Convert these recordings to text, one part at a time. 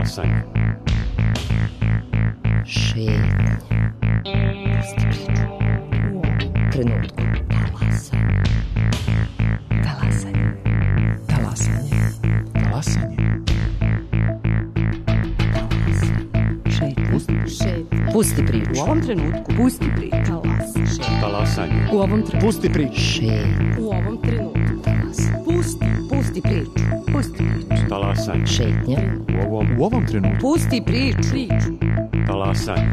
Talasanje. Šetnja. Trenutku. Talasanje. Talasanje. Talasanje. Pusti priču. U ovom trenutku. Pusti priču. Talasanje. U ovom trenutku. Pusti priču. Šetnja. U ovom trenutku. Pusti priču. Pusti priču. Talasanje. Šetnja. U ovom trenutku. Pusti priču. Talasanje.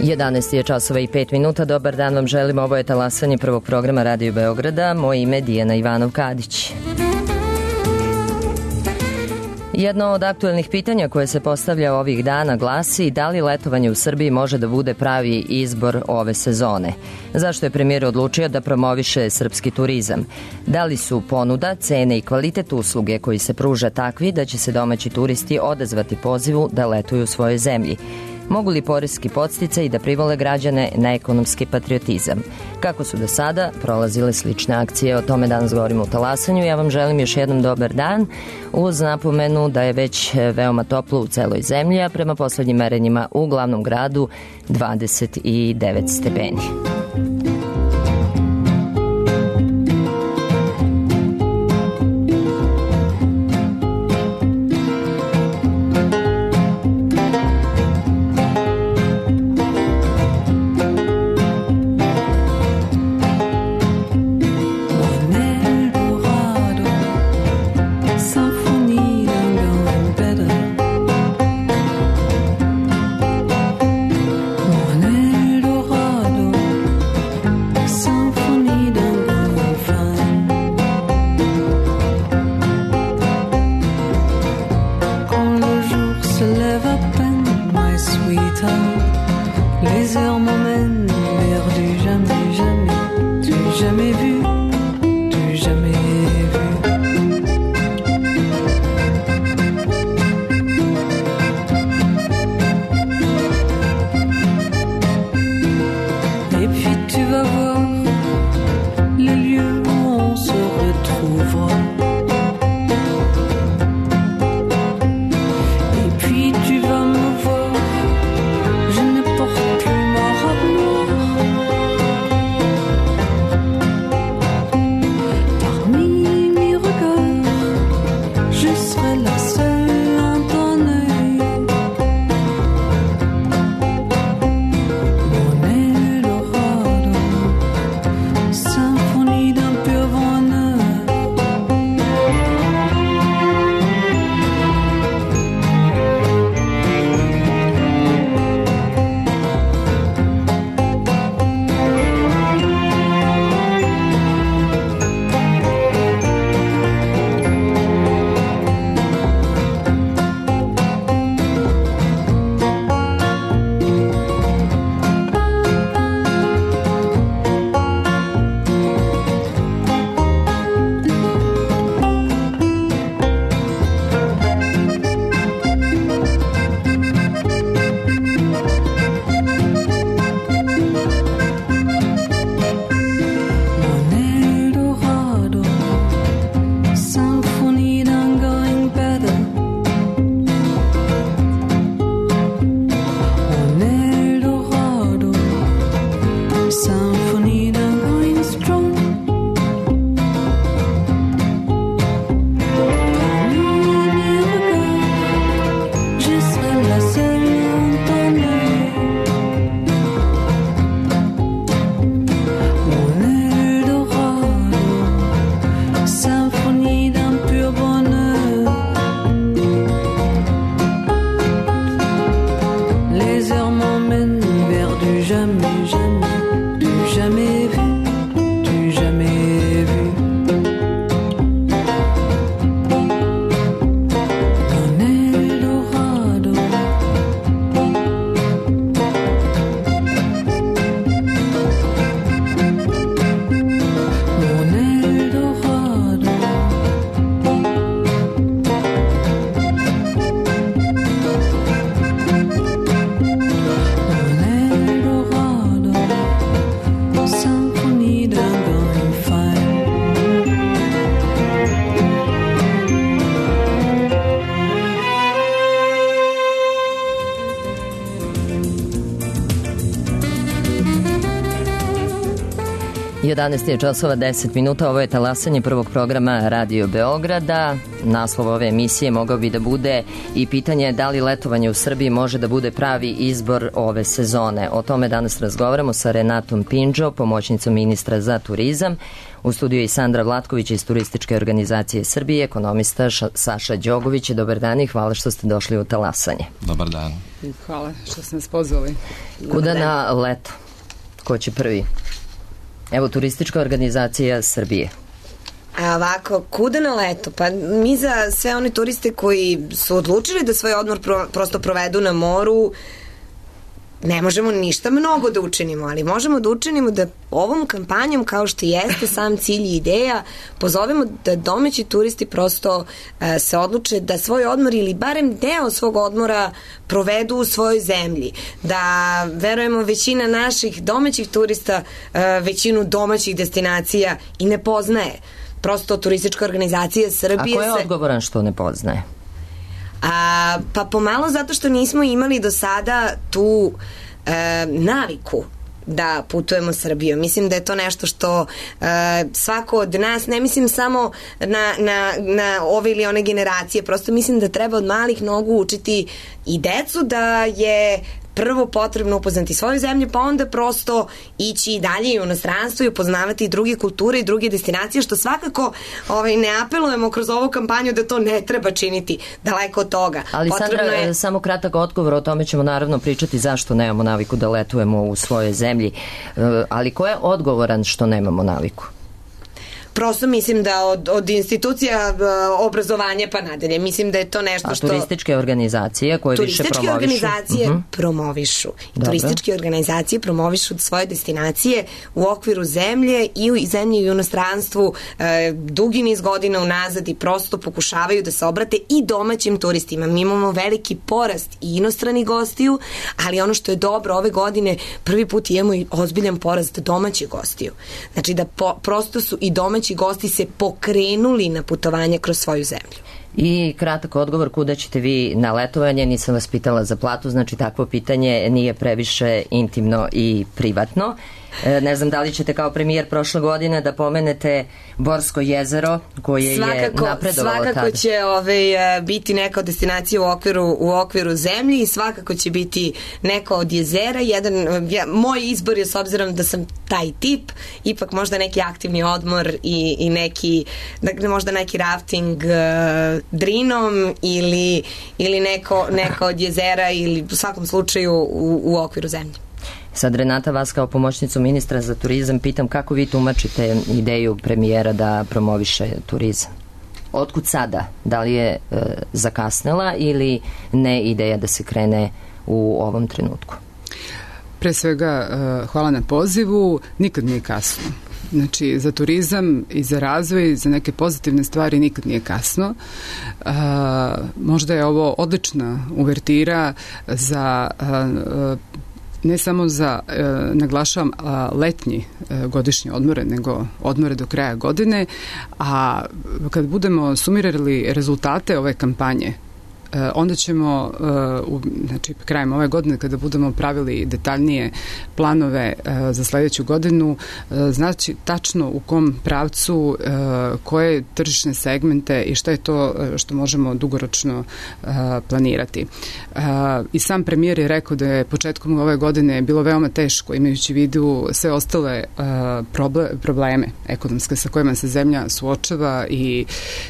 Jedanaest je časova i 5 minuta. Dobar dan vam želim. Ovo je talasanje prvog programa Radio Beograda. Moje ime je Dijana Ivanov-Kadić. Jedno od aktuelnih pitanja koje se postavlja ovih dana glasi da li letovanje u Srbiji može da bude pravi izbor ove sezone. Zašto je premijer odlučio da promoviše srpski turizam? Da li su ponuda, cene i kvalitet usluge koji se pruža takvi da će se domaći turisti odazvati pozivu da letuju u svojoj zemlji? Mogu li poreski podsticaj da privole građane na ekonomski patriotizam? Kako su do sada prolazile slične akcije? O tome danas govorimo u Talasanju. Ja vam želim još jednom dobar dan uz napomenu da je već veoma toplo u celoj zemlji, a prema poslednjim merenjima u glavnom gradu 29 stepeni. 11 je časova 10 minuta, ovo je talasanje prvog programa Radio Beograda. Naslov ove emisije mogao bi da bude i pitanje da li letovanje u Srbiji može da bude pravi izbor ove sezone. O tome danas razgovaramo sa Renatom Pindžo, pomoćnicom ministra za turizam. U studiju je i Sandra Vlatković iz Turističke organizacije Srbije, ekonomista Saša Đogović. Dobar dan i hvala što ste došli u talasanje. Dobar dan. Hvala što ste nas pozvali. Kuda na leto? Ko će prvi? Evo, Turistička organizacija Srbije. A ovako, kuda na leto? Pa mi za sve one turiste koji su odlučili da svoj odmor prosto provedu na moru, ne možemo ništa mnogo da učinimo, ali možemo da učinimo da ovom kampanjom, kao što jeste sam cilj i ideja, pozovemo da domaći turisti prosto se odluče da svoj odmor ili barem deo svog odmora provedu u svojoj zemlji. Da, verujemo, većina naših domaćih turista većinu domaćih destinacija i ne poznaje. Prosto Turistička organizacija Srbije... A ko je odgovoran što ne poznaje? Pa pomalo zato što nismo imali do sada tu naviku da putujemo Srbijom. Mislim da je to nešto što svako od nas, ne mislim samo na ove ili one generacije, prosto mislim da treba od malih nogu učiti i decu da je prvo potrebno upoznati svoju zemlju, pa onda prosto ići dalje u inostranstvo i upoznavati druge kulture i druge destinacije, što svakako ne apelujemo kroz ovu kampanju da to ne treba činiti, daleko od toga. Ali Sandra, samo kratak odgovor, o tome ćemo naravno pričati zašto nemamo naviku da letujemo u svojoj zemlji, ali ko je odgovoran što nemamo naviku? Prosto mislim da od institucija obrazovanja pa nadalje. Mislim da je to nešto što... A turističke organizacije koje više promovišu? Turističke organizacije promovišu. Turističke organizacije promovišu svoje destinacije u okviru zemlje i u zemlji i u inostranstvu dugi niz godina unazad i prosto pokušavaju da se obrate i domaćim turistima. Mi imamo veliki porast i inostranih gostiju, ali ono što je dobro ove godine, prvi put imamo i ozbiljan porast domaćih gostiju. Znači da prosto su i domaći gosti se pokrenuli na putovanje kroz svoju zemlju. I kratak odgovor, kuda ćete vi na letovanje? Nisam vas pitala za platu, znači takvo pitanje nije previše intimno i privatno. Ne znam da li ćete kao premijer prošle godine da pomenete Borsko jezero koje je napredovalo tada. Svakako će biti neka od destinacija u okviru zemlji i svakako će biti neko od jezera. Moj izbor je, s obzirom da sam taj tip, ipak možda neki aktivni odmor i neki, možda neki rafting drinom ili neko od jezera ili u svakom slučaju u okviru zemlje. Sad, Renata, vas kao pomoćnicu ministra za turizam pitam kako vi tumačite ideju premijera da promoviše turizam? Otkud sada? Da li je zakasnela ili ne ideja da se krene u ovom trenutku? Pre svega, hvala na pozivu. Nikad nije kasno. Znači, za turizam i za razvoj, za neke pozitivne stvari nikad nije kasno. Možda je ovo odlična uvertira za ne samo za, naglašavam, letnji godišnje odmore, nego odmore do kraja godine, a kad budemo sumirali rezultate ove kampanje, onda ćemo, znači krajem ove godine kada budemo pravili detaljnije planove za sledeću godinu, znači tačno u kom pravcu, koje tržišne segmente i šta je to što možemo dugoročno planirati. I sam premijer je rekao da je početkom ove godine bilo veoma teško, imajući u vidu sve ostale probleme ekonomske sa kojima se zemlja suočava i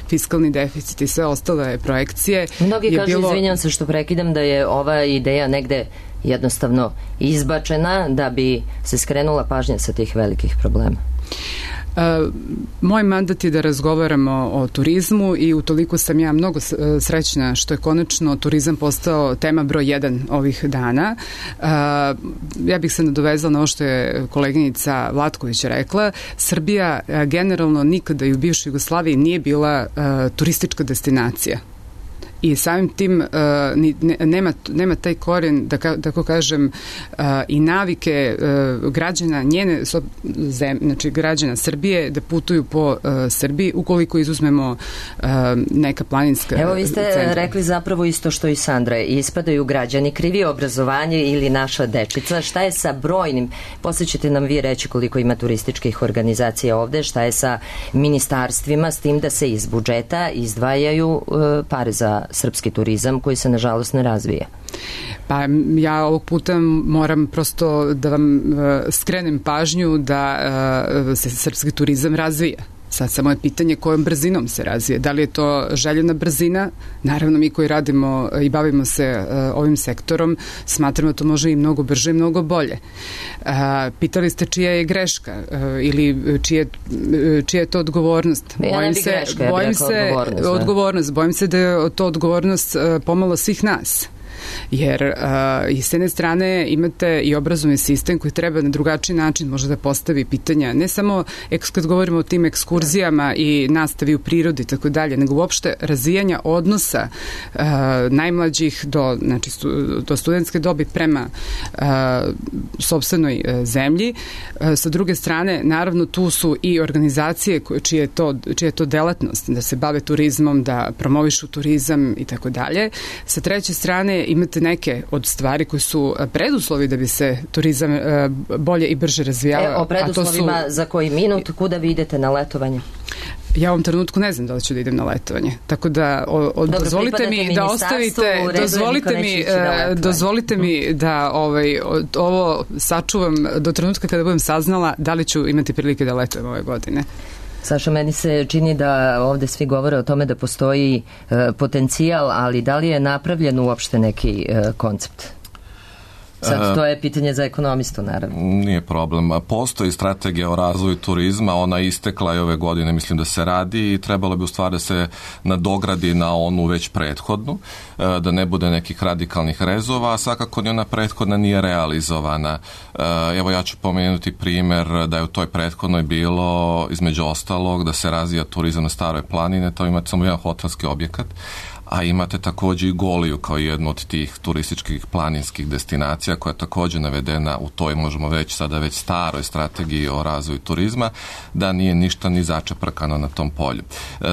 fiskalni deficit i sve ostale projekcije. Mnogi kažu, izvinjam se što prekidam, da je ova ideja negde jednostavno izbačena da bi se skrenula pažnja sa tih velikih problema. Moj mandat je da razgovaramo o turizmu i utoliko sam ja mnogo srećna što je konačno turizam postao tema broj 1 ovih dana. Ja bih se nadovezala na ovo što je koleginica Vlatković rekla. Srbija generalno nikada i u bivšoj Jugoslaviji nije bila turistička destinacija. i samim tim nema taj koren, da tako kažem, i navike građana znači građana Srbije da putuju po Srbiji, ukoliko izuzmemo neka planinska Evo vi ste centra. rekli zapravo isto što i Sandra, ispadaju građani krivi, obrazovanje ili naša dečica. Šta je sa brojnim, poslije ćete nam vi reći koliko ima turističkih organizacija ovde, šta je sa ministarstvima s tim da se iz budžeta izdvajaju pare za srpski turizam koji se nažalost ne razvija? Pa ja ovog puta moram prosto da vam skrenem pažnju da se srpski turizam razvija. Sad samo je pitanje kojom brzinom se razvije. Da li je to željena brzina? Naravno, mi koji radimo i bavimo se ovim sektorom, smatramo da to može i mnogo brže i mnogo bolje. Pitali ste čija je greška ili čija je to odgovornost? Bojim se da je to odgovornost pomalo svih nas. Jer i s jedne strane imate i obrazovni sistem koji treba na drugačiji način možda da postavi pitanja, ne samo kad govorimo o tim ekskurzijama i nastavi u prirodi i tako dalje, nego uopšte razvijanja odnosa najmlađih do studentske dobi prema sopstvenoj zemlji. Sa druge strane, naravno, tu su i organizacije čija je to delatnost, da se bave turizmom, da promovišu turizam i tako dalje. Sa treće strane, imate neke od stvari koji su preduslovi da bi se turizam bolje i brže razvijao. O preduslovima za koji minut, kuda vi idete na letovanje? Ja u ovom trenutku ne znam da li ću da idem na letovanje. Tako da dozvolite mi da ostavite, dozvolite mi da ovo sačuvam do trenutka kada budem saznala da li ću imati prilike da letujem ove godine. Saša, meni se čini da ovde svi govore o tome da postoji potencijal, ali da li je napravljen uopšte neki koncept? Sad, to je pitanje za ekonomistu, naravno. Nije problem. Postoji strategija o razvoju turizma, ona je istekla i ove godine, mislim da se radi i trebalo bi u stvari da se nadogradi na onu već prethodnu, da ne bude nekih radikalnih rezova, a svakako ni ona prethodna nije realizovana. Evo ja ću pomenuti primer da je u toj prethodnoj bilo, između ostalog, da se razvija turizam na Staroj planine, to imate samo jedan hotelski objekat, a imate također i Goliju kao jednu od tih turističkih planinskih destinacija koja je također navedena u toj, možemo već sada već staroj strategiji o razvoju turizma, da nije ništa ni začeprkano na tom polju.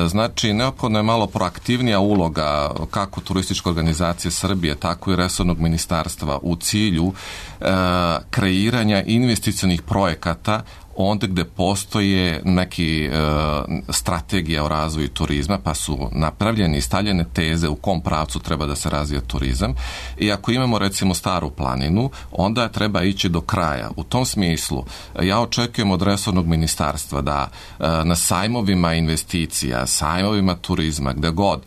Znači, neophodno je malo proaktivnija uloga kako turističke organizacije Srbije, tako i resornog ministarstva u cilju kreiranja investicionih projekata onda gde postoje neki strategija o razvoju turizma, pa su napravljene i stavljene teze u kom pravcu treba da se razvija turizam. I ako imamo recimo Staru planinu, onda treba ići do kraja. U tom smislu ja očekujem od resornog ministarstva da na sajmovima investicija, sajmovima turizma, gde god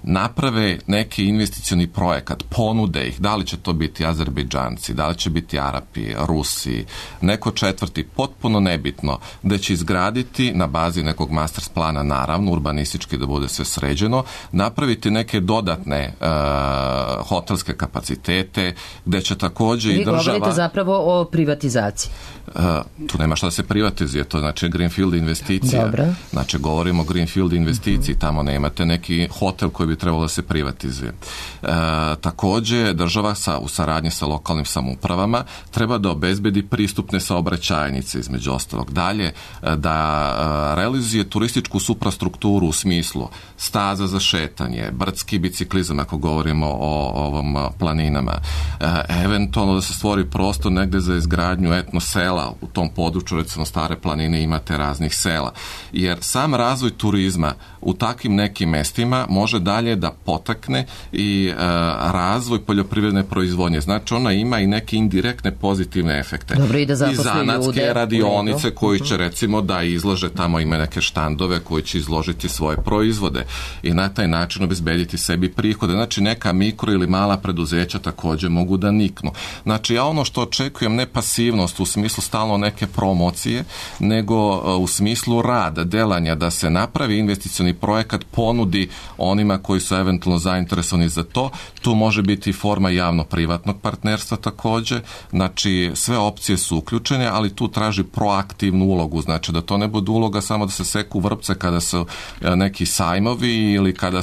naprave neki investicioni projekat, ponude ih, da li će to biti Azerbejdžanci, da li će biti Arapi, Rusi, neko četvrti, potpuno nebitno, da će izgraditi na bazi nekog master plana, naravno, urbanistički da bude sve sređeno, napraviti neke dodatne hotelske kapacitete, gde će također i država... Vi govorite zapravo o privatizaciji. Tu nema šta da se privatizuje, to znači greenfield investicija. Dobro. Znači, govorimo o greenfield investiciji, tamo nemate neki hotel koji bi trebalo da se privatizuje. Također, država u saradnji sa lokalnim samoupravama treba da obezbedi pristupne saobraćajnice, između ostalog. Dalje, da realizuje turističku suprastrukturu u smislu staza za šetanje, brdski biciklizam, ako govorimo o ovom planinama. Eventualno da se stvori prostor negde za izgradnju etno sela u tom području, recimo Stare planine imate raznih sela. Jer sam razvoj turizma u takvim nekim mestima može dalje da potakne i razvoj poljoprivredne proizvodnje. Znači ona ima i neke indirektne pozitivne efekte. Dobro, i da zaposli zanatske ljude, radionice koji će recimo da izlože, tamo ima neke štandove koji će izložiti svoje proizvode i na taj način obezbediti sebi prihode. Znači neka mikro ili mala preduzeća također mogu da niknu. Znači ja ono što očekujem, ne pasivnost u smislu stalno neke promocije, nego u smislu rada, delanja, da se napravi investicioni projekat, ponudi onima koji koji su eventualno zainteresovani za to. Tu može biti forma javno-privatnog partnerstva također. Znači, sve opcije su uključene, ali tu traži proaktivnu ulogu. Znači, da to ne bude uloga samo da se seku vrpce kada su neki sajmovi ili kada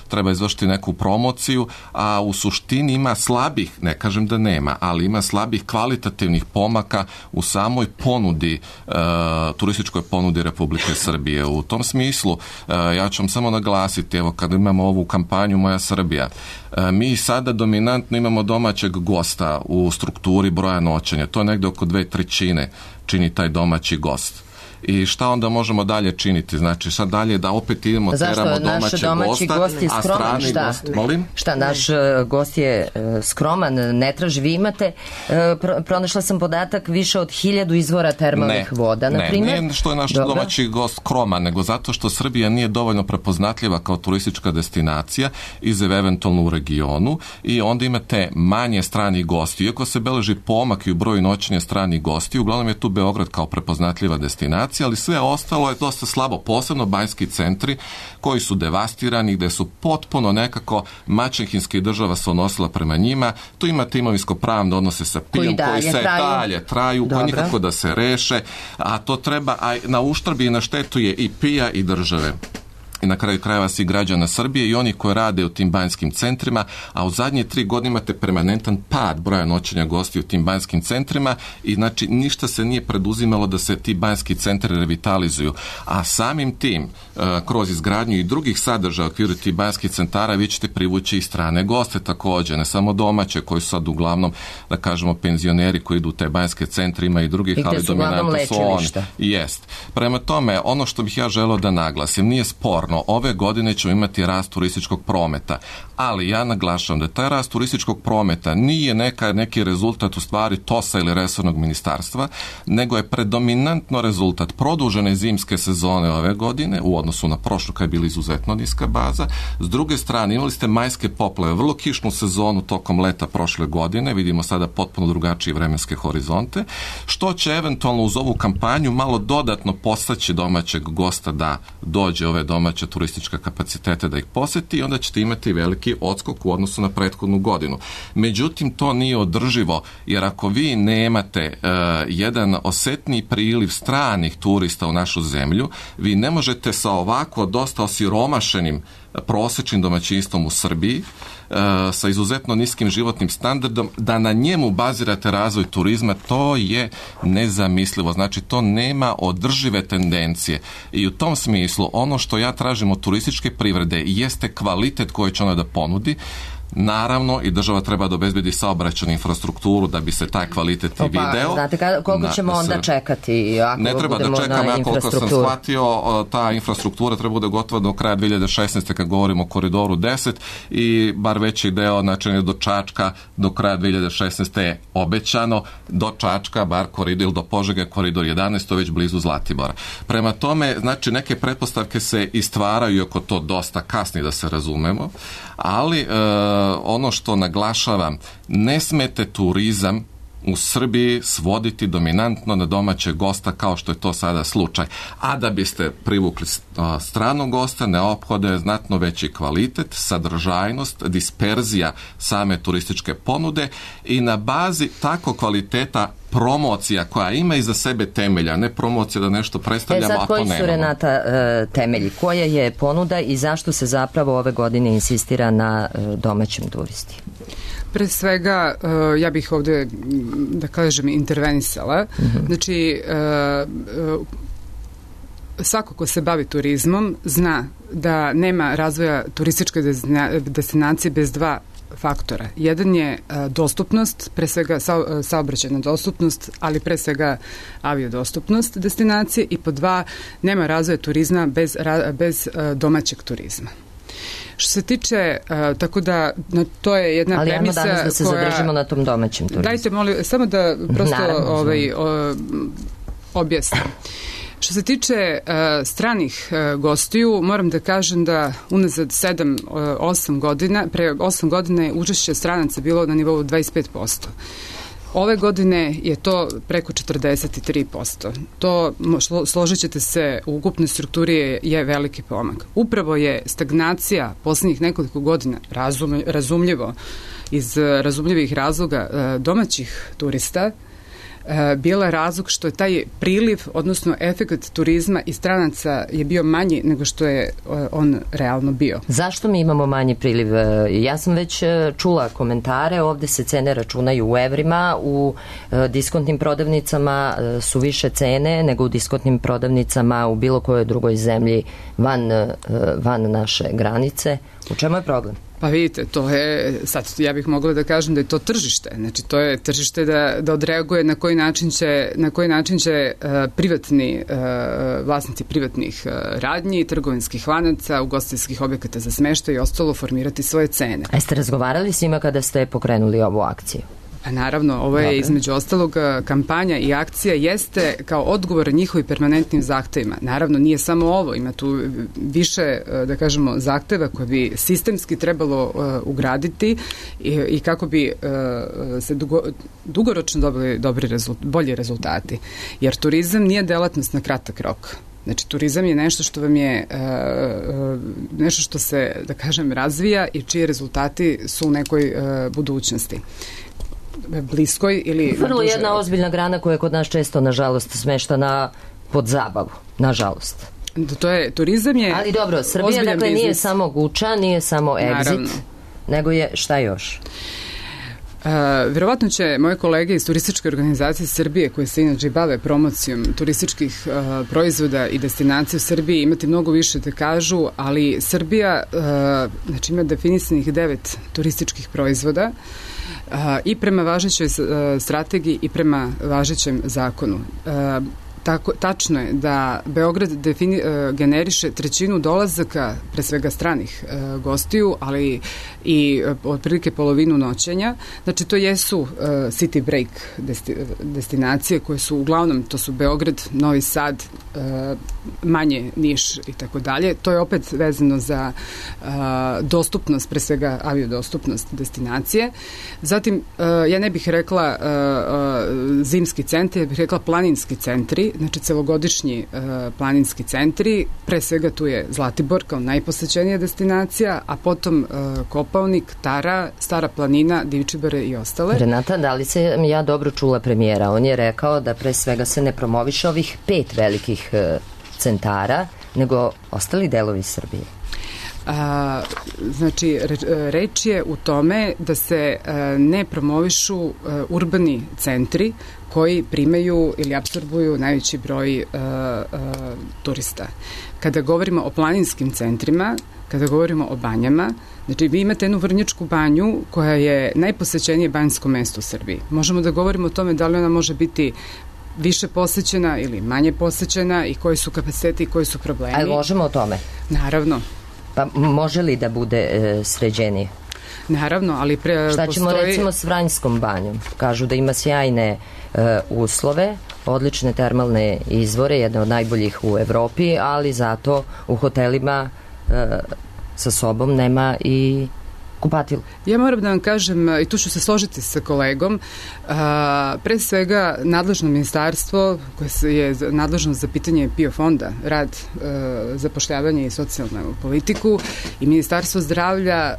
treba izvršiti neku promociju, a u suštini ima slabih, ne kažem da nema, ali ima slabih kvalitativnih pomaka u samoj ponudi, turističkoj ponudi Republike Srbije. U tom smislu, ja ću vam samo naglasiti, evo kada imamo ovu kampanju Moja Srbija, mi sada dominantno imamo domaćeg gosta u strukturi broja noćenja. To je negdje oko 2/3 čini taj domaći gost. I šta onda možemo dalje činiti? Znači, sad dalje da opet idemo, teramo domaći gost je a skroman, strani šta? gost, molim? Šta, naš gost je skroman, ne traži, vi imate, pronašla sam podatak, više od 1000 izvora termalnih voda, na primjer. Ne, što je naš domaći gost skroman, nego zato što Srbija nije dovoljno prepoznatljiva kao turistička destinacija, izuzev eventualno u regionu, i onda imate manje stranih gosti. Iako se beleži pomak i u broju noćenja stranih gosti, uglavnom je tu Beograd kao prepoznatljiva destinacija, ali sve ostalo je dosta slabo, posebno banjski centri koji su devastirani, gde su potpuno nekako maćehinski država se odnosila prema njima. Tu imate imovinsko-pravne odnose sa PIO-om koji se dalje traju, koji nikako da se reše, a to treba, a na uštrb i na štetu je i PIO-a i države. I na kraju krajeva svi građana Srbije i oni koji rade u tim banjskim centrima, a u zadnje 3 godine imate permanentan pad broja noćenja gosti u tim banjskim centrima i znači ništa se nije preduzimalo da se ti banjski centri revitalizuju. A samim tim, kroz izgradnju i drugih sadržaja u okviru tih banjskih centara, vi ćete privući i strane goste također, ne samo domaće koji su sad uglavnom, da kažemo, penzioneri koji idu u te banjske centre, ima i drugih, ali dominantno su oni. Jest. Prema tome, ono što bih ja želeo da naglasim, nije sporno. Ove godine ćemo imati rast turističkog prometa, ali ja naglašavam da taj rast turističkog prometa nije neki rezultat u stvari TOS-a ili resornog ministarstva, nego je predominantno rezultat produžene zimske sezone ove godine u odnosu na prošlu kad je bila izuzetno niska baza. S druge strane, imali ste majske poplave, vrlo kišnu sezonu tokom leta prošle godine, vidimo sada potpuno drugačije vremenske horizonte, što će eventualno uz ovu kampanju malo dodatno postaći domaćeg gosta da dođe ove domaće turističke kapacitete da ih poseti i onda ćete imati veliki odskok u odnosu na prethodnu godinu. Međutim, to nije održivo, jer ako vi nemate jedan osetni priliv stranih turista u našu zemlju, vi ne možete sa ovako dosta osiromašenim prosječnim domaćinstvom u Srbiji, sa izuzetno niskim životnim standardom, da na njemu bazirate razvoj turizma, to je nezamislivo. Znači, to nema održive tendencije. I u tom smislu, ono što ja tražim od turističke privrede jeste kvalitet koji će ona da ponudi. Naravno, i država treba da obezbedi saobraćajnu infrastrukturu da bi se taj kvalitet i video. Znate koliko ćemo onda čekati? Ako ne treba da čekamo, ja koliko sam shvatio, ta infrastruktura treba bude gotova do kraja 2016. kad govorimo o koridoru 10 i bar veći deo, znači do Čačka do kraja 2016. je obećano, do Čačka, bar koridor ili do Požege, koridor 11, to već blizu Zlatibora. Prema tome, znači neke pretpostavke se i stvaraju, iako to dosta kasni da se razumemo, ali ono što naglašavam, ne smete turizam u Srbiji svoditi dominantno na domaćeg gosta kao što je to sada slučaj. A da biste privukli stranog gosta, neophodno je znatno veći kvalitet, sadržajnost, disperzija same turističke ponude i na bazi tako kvaliteta promocija koja ima iza sebe temelja, ne promocija da nešto predstavljamo, a to nemamo. Koji su, Renata, temelji? Koja je ponuda i zašto se zapravo ove godine insistira na domaćem turisti? Pre svega, ja bih ovde, da kažem, intervenisala. Znači, svako ko se bavi turizmom zna da nema razvoja turističke destinacije bez dva faktora. Jedan je dostupnost, pre svega saobraćajna dostupnost, ali pre svega aviodostupnost destinacije, i pod dva, nema razvoja turizma bez domaćeg turizma. Što se tiče, tako da, to je jedna premisa koja... Ali danas da se zadržimo na tom domaćem turizmu. Dajte, molim, samo da prosto objasnim. Što se tiče stranih gostiju, moram da kažem da unazad 7-8 godina, pre 8 godina je učešće stranaca bilo na nivou 25%. Ove godine je to preko 43%. To, složit ćete se, u ukupnoj strukturi je veliki pomak. Upravo je stagnacija poslednjih nekoliko godina, razumljivo, iz razumljivih razloga domaćih turista, bila razlog što je taj priliv, odnosno efekt turizma i stranaca je bio manji nego što je on realno bio. Zašto mi imamo manji priliv? Ja sam već čula komentare, ovde se cene računaju u evrima, u diskontnim prodavnicama su više cene nego u diskontnim prodavnicama u bilo kojoj drugoj zemlji van naše granice. U čemu je problem? Pa vidite, to je, sad ja bih mogla da kažem da je to tržište, znači to je tržište da odreaguje na koji način će privatni vlasnici privatnih radnji, trgovinskih lanaca, ugostiteljskih objekata za smeštaj i ostalo formirati svoje cene. A jeste razgovarali s njima kada ste pokrenuli ovu akciju? Pa naravno, ovo je između ostalog kampanja i akcija jeste kao odgovor njihovim permanentnim zahtevima. Naravno, nije samo ovo, ima tu više, da kažemo, zahteva koje bi sistemski trebalo ugraditi i kako bi se dugoročno dobili bolji rezultati. Jer turizam nije delatnost na kratak rok. Znači, turizam je nešto što vam je nešto što se, da kažem, razvija i čiji rezultati su u nekoj budućnosti. Bliskoj ili... Vrlo jedna ozbiljna grana koja je kod nas često, nažalost, smeštana pod zabavu, nažalost. Turizam je... Ali dobro, Srbija, dakle, biznis. Nije samo Guča, nije samo Exit, naravno, nego je šta još? Verovatno će moje kolege iz turističke organizacije Srbije, koje se inače bave promocijom turističkih proizvoda i destinacija u Srbiji, imati mnogo više da kažu, ali Srbija znači, ima definisanih 9 turističkih proizvoda i prema važećoj strategiji i prema važećem zakonu. Tačno je da Beograd generiše trećinu dolazaka, pre svega stranih gostiju, ali i otprilike polovinu noćenja. Znači, to jesu city break destinacije koje su uglavnom, to su Beograd, Novi Sad, manje Niš i tako dalje. To je opet vezano za dostupnost, pre svega aviodostupnost destinacije. Zatim, ja ne bih rekla zimski centri, ja bih rekla planinski centri, znači celogodišnji planinski centri, pre svega tu je Zlatibor kao najposećenija destinacija, a potom Kopaonik, Tara, Stara planina, Divčibare i ostale. Renata, da li se ja dobro čula premijera? On je rekao da pre svega se ne promoviše ovih 5 velikih centara, nego ostali delovi Srbije. Znači, reč je u tome da se ne promovišu urbani centri koji primaju ili apsorbuju najveći broj turista. Kada govorimo o planinskim centrima, kada govorimo o banjama, znači vi imate jednu Vrnjačku banju koja je najposećenije banjsko mesto u Srbiji. Možemo da govorimo o tome da li ona može biti više posećena ili manje posećena i koji su kapaciteti i koji su problemi. Ali možemo o tome? Naravno. Pa može li da bude sređenije? Naravno, ali šta ćemo recimo s Vranjskom banjom? Kažu da ima sjajne uslove, odlične termalne izvore, jedne od najboljih u Evropi, ali zato u hotelima sa sobom nema i kupatilu. Ja moram da vam kažem, i tu ću se složiti sa kolegom, pre svega nadležno ministarstvo koje je nadležno za pitanje PIO fonda, rad, zapošljavanje i socijalnu politiku i Ministarstvo zdravlja,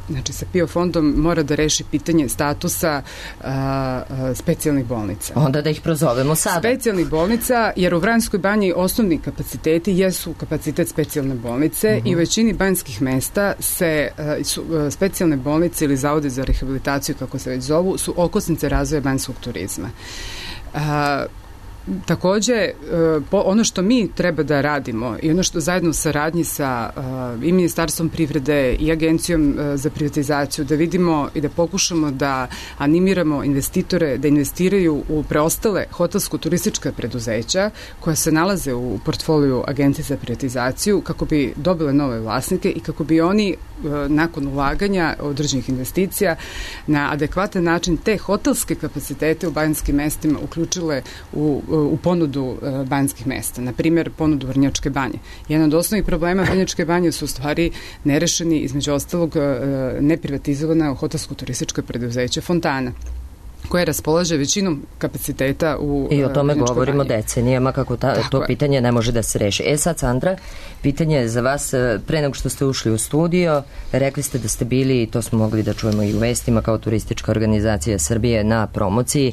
znači sa PIO fondom mora da reši pitanje statusa specijalnih bolnica. Onda da ih prozovemo sada. Specijalnih bolnica, jer u Vranjskoj banji osnovni kapaciteti jesu kapacitet specijalne bolnice i u većini banjskih mesta su specijalne bolnice ili zavode za rehabilitaciju, kako se već zovu, su okosnice razvoja banjskog turizma. Takođe, ono što mi treba da radimo i ono što zajedno u saradnji sa i Ministarstvom privrede i Agencijom za privatizaciju, da vidimo i da pokušamo da animiramo investitore da investiraju u preostale hotelsko-turistička preduzeća koja se nalaze u portfoliju Agencije za privatizaciju, kako bi dobile nove vlasnike i kako bi oni nakon ulaganja određenih investicija na adekvatan način te hotelske kapacitete u banjskim mestima uključile u ponudu banjskih mesta, na primjer ponudu Vrnjačke banje. Jedan od osnovnih problema Vrnjačke banje su u stvari nerešeni, između ostalog neprivatizovana hotelsko-turistička preduzeća Fontana. koje raspolaže većinom kapaciteta u I o tome govorimo Banji. decenijama kako to pitanje ne može da se reši. Sad, Sandra, pitanje je za vas. Pre nego što ste ušli u studio, rekli ste da ste bili, i to smo mogli da čujemo i u vestima, kao turistička organizacija Srbije na promociji.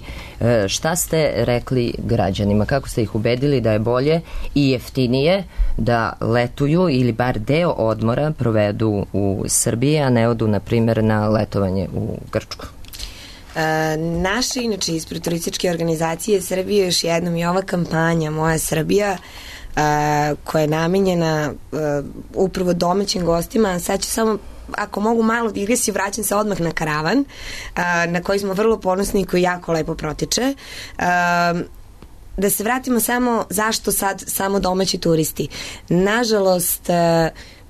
Šta ste rekli građanima? Kako ste ih ubedili da je bolje i jeftinije da letuju ili bar deo odmora provedu u Srbiji, a ne odu, na primjer, na letovanje u Grčku? Naše, inače, ispred turističke organizacije Srbije, još jednom i ova kampanja Moja Srbija, koja je namenjena upravo domaćim gostima. Sad ću samo, ako mogu malo digresiju, vraćam se odmah na karavan, na koji smo vrlo ponosni i koji jako lepo protiče. Da se vratimo samo zašto sad samo domaći turisti. Nažalost,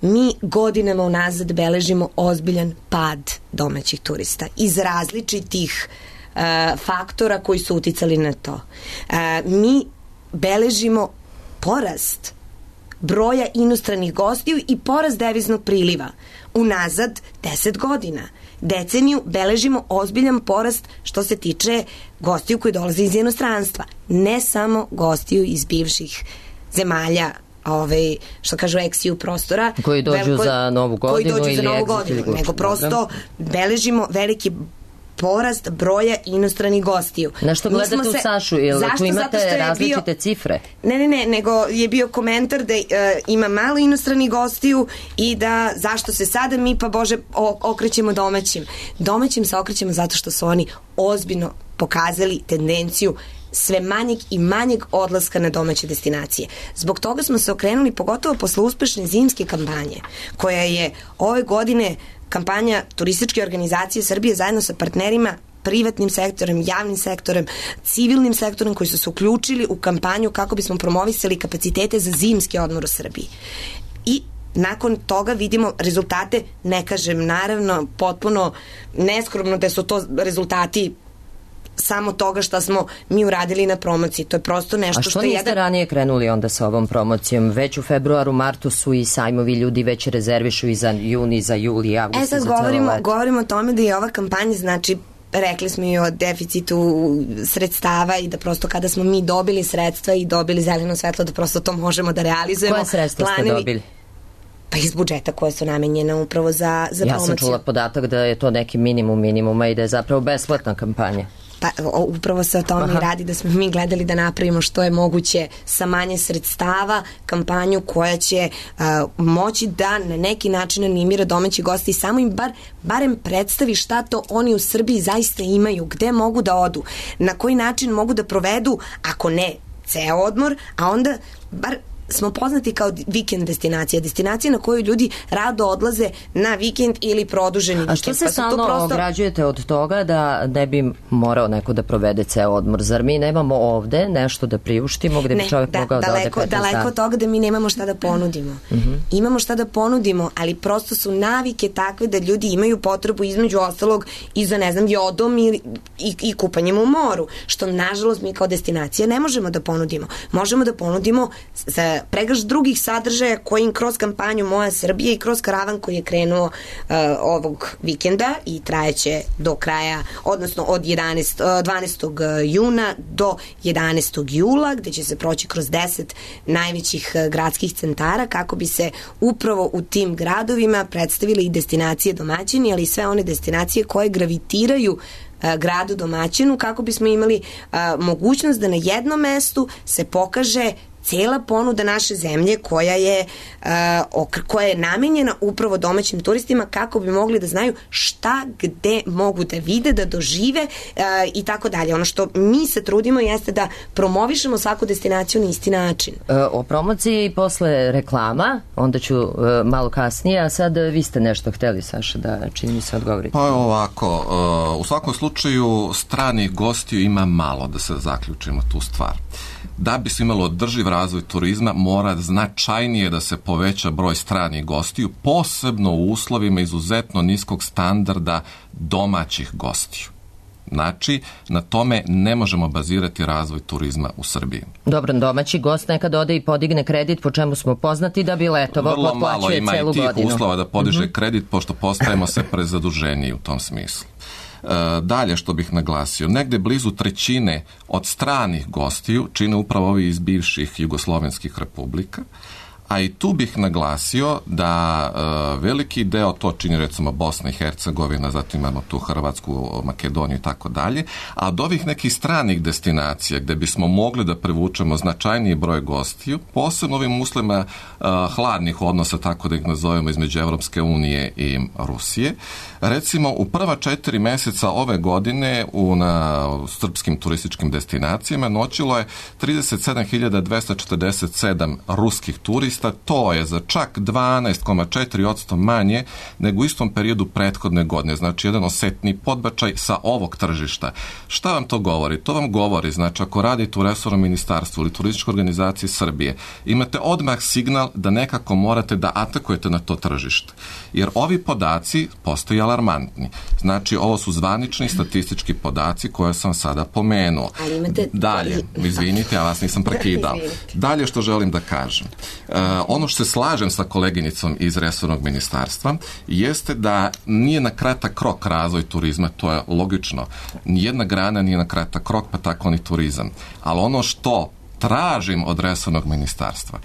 mi godinama unazad beležimo ozbiljan pad domaćih turista iz različitih faktora koji su uticali na to. Mi beležimo porast broja inostranih gostiju i porast deviznog priliva unazad 10 godina. Deceniju beležimo ozbiljan porast što se tiče gostiju koji dolaze iz inostranstva. Ne samo gostiju iz bivših zemalja, što kažu ex-EU prostora, koji dođu za Novu godinu, nego prosto beležimo veliki porast broja inostranih gostiju. Na što gledate u Sašu? Tu imate različite cifre? Ne, nego je bio komentar da ima malo inostranih gostiju i da zašto se sada mi, pa Bože, okrećemo domaćim. Domaćim se okrećemo zato što su oni ozbiljno pokazali tendenciju sve manjeg i manjeg odlaska na domaće destinacije. Zbog toga smo se okrenuli, pogotovo posle uspešne zimske kampanje, koja je ove godine kampanja turističke organizacije Srbije zajedno sa partnerima, privatnim sektorem, javnim sektorem, civilnim sektorom, koji su se uključili u kampanju kako bismo promovisali kapacitete za zimski odmor u Srbiji. I nakon toga vidimo rezultate, ne kažem naravno potpuno neskromno da su to rezultati samo toga što smo mi uradili na promociji. To je prosto nešto što je... A što niste ranije krenuli onda sa ovom promocijom? Već u februaru, martu su i sajmovi, ljudi već rezervišu i za juni, za juli, avgust. Sad govorimo o tome da je ova kampanja, znači, rekli smo i o deficitu sredstava i da prosto kada smo mi dobili sredstva i dobili zeleno svetlo, da prosto to možemo da realizujemo. Koje sredstva ste dobili? Pa iz budžeta koje su namenjene upravo za promociju. Ja sam čula podatak da je to neki minimuma i da je zapravo besplatna kampanja. Pa upravo se o tome radi, da smo mi gledali da napravimo što je moguće sa manje sredstava kampanju koja će moći da na neki način animira domaći gosti i samo im barem predstavi šta to oni u Srbiji zaista imaju, gde mogu da odu, na koji način mogu da provedu, ako ne ceo odmor, a onda bar smo poznati kao vikend destinacija na koju ljudi rado odlaze na vikend ili produženi vikend. A što se stalno ograđujete od toga da ne bi morao neko da provede ceo odmor? Zar mi nemamo ovde nešto da priuštimo gde bi čovjek mogao da ode 15 dana? Daleko od toga da mi nemamo šta da ponudimo. Imamo šta da ponudimo, ali prosto su navike takve da ljudi imaju potrebu između ostalog i za, ne znam, jodom i kupanjem u moru, što nažalost mi kao destinacija ne možemo da ponudimo. Možemo da ponudimo za pregršt drugih sadržaja koji im kroz kampanju Moja Srbija i kroz karavan koji je krenuo ovog vikenda i trajeće do kraja, odnosno od 12. juna do 11. jula, gde će se proći kroz 10 najvećih gradskih centara kako bi se upravo u tim gradovima predstavile i destinacije domaćini, ali i sve one destinacije koje gravitiraju gradu domaćinu, kako bismo imali mogućnost da na jednom mestu se pokaže cela ponuda naše zemlje koja je namenjena upravo domaćim turistima kako bi mogli da znaju šta gde mogu da vide, da dožive i tako dalje. Ono što mi se trudimo jeste da promovišemo svaku destinaciju na isti način. O promociji posle reklama, onda ću malo kasnije, a sad vi ste nešto hteli, Saša, da čini se odgovorite. Pa ovako, u svakom slučaju stranih gostiju ima malo, da se zaključimo tu stvar. Da bi se imalo održiv razvoj turizma, mora značajnije da se poveća broj stranih gostiju, posebno u uslovima izuzetno niskog standarda domaćih gostiju. Znači, na tome ne možemo bazirati razvoj turizma u Srbiji. Dobro, domaći gost nekad ode i podigne kredit, po čemu smo poznati da bi letovao, potplaćuje celu godinu. Vrlo malo ima i tih uslova da podiže kredit, pošto postajemo se prezaduženiji u tom smislu. Dalje što bih naglasio, negde blizu trećine od stranih gostiju čine upravo ovi iz bivših jugoslovenskih republika, a i tu bih naglasio da veliki deo to čini recimo Bosna i Hercegovina, zatim imamo tu Hrvatsku, Makedoniju i tako dalje, a od ovih nekih stranih destinacija gde bismo mogli da privučemo značajniji broj gostiju, posebno ovim uslovima hladnih odnosa, tako da ih nazovemo, između Evropske unije i Rusije. Recimo, u prva 4 meseca ove godine na srpskim turističkim destinacijama noćilo je 37.247 ruskih turista, to je za čak 12,4% manje nego u istom periodu prethodne godine, znači jedan osetni podbačaj sa ovog tržišta. Šta vam to govori? To vam govori, znači ako radite u resornom ministarstvu ili turističkoj organizaciji Srbije, imate odmah signal da nekako morate da atakujete na to tržište. Jer ovi podaci postaju alarmantni. Znači, ovo su zvanični statistički podaci koje sam sada pomenuo. Ali imate... Dalje, izvinite, ja vas nisam prekidao. Dalje što želim da kažem. Ono što se slažem sa koleginicom iz resornog ministarstva jeste da nije na kratak rok razvoj turizma, to je logično. Nijedna grana nije na kratak rok, pa tako ni turizam. Ali ono što tražim od resornog ministarstva,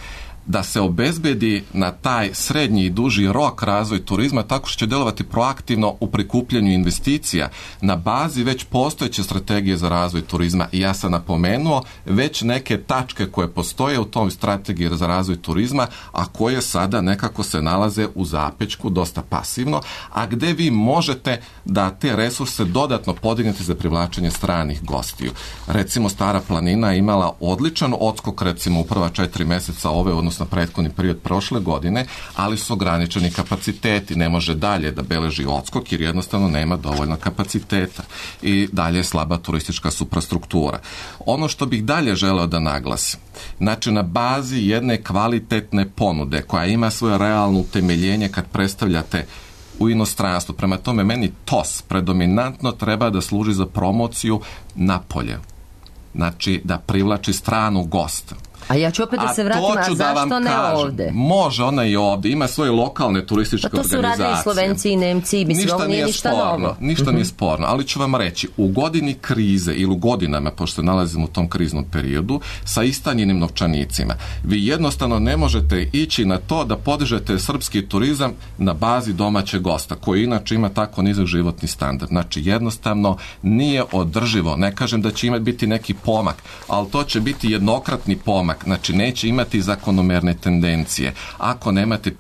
da se obezbedi na taj srednji i duži rok razvoj turizma tako što će delovati proaktivno u prikupljanju investicija na bazi već postojeće strategije za razvoj turizma. I ja sam napomenuo već neke tačke koje postoje u tom strategiji za razvoj turizma, a koje sada nekako se nalaze u zapečku, dosta pasivno, a gde vi možete da te resurse dodatno podignete za privlačenje stranih gostiju. Recimo, Stara planina je imala odličan odskok, recimo u prva 4 meseca ove, odnosno prethodni period prošle godine, ali su ograničeni kapaciteti, ne može dalje da beleži odskok jer jednostavno nema dovoljno kapaciteta i dalje je slaba turistička suprastruktura. Ono što bih dalje želeo da naglasim, znači na bazi jedne kvalitetne ponude koja ima svoje realno utemeljenje kad predstavljate u inostranstvu, prema tome meni TOS predominantno treba da služi za promociju napolje, znači da privlači stranu gosta. A ja ću opet da se vratim, a zašto ne ovde? Može, ona i ovde, ima svoje lokalne turističke organizacije. Pa to su radili i Slovenci i Nemci, mislim, ovo nije ništa novo. Ništa nije sporno, ali ću vam reći, u godini krize ili u godinama, pošto se nalazimo u tom kriznom periodu, sa istanjenim novčanicima, vi jednostavno ne možete ići na to da podižete srpski turizam na bazi domaćeg gosta, koji inače ima tako nizak životni standard. Znači, jednostavno nije održivo. Ne kažem da će biti neki pomak, ali to će biti jednokratni pomak. Znači, neće imati zakonomerne tendencije. Ako nemate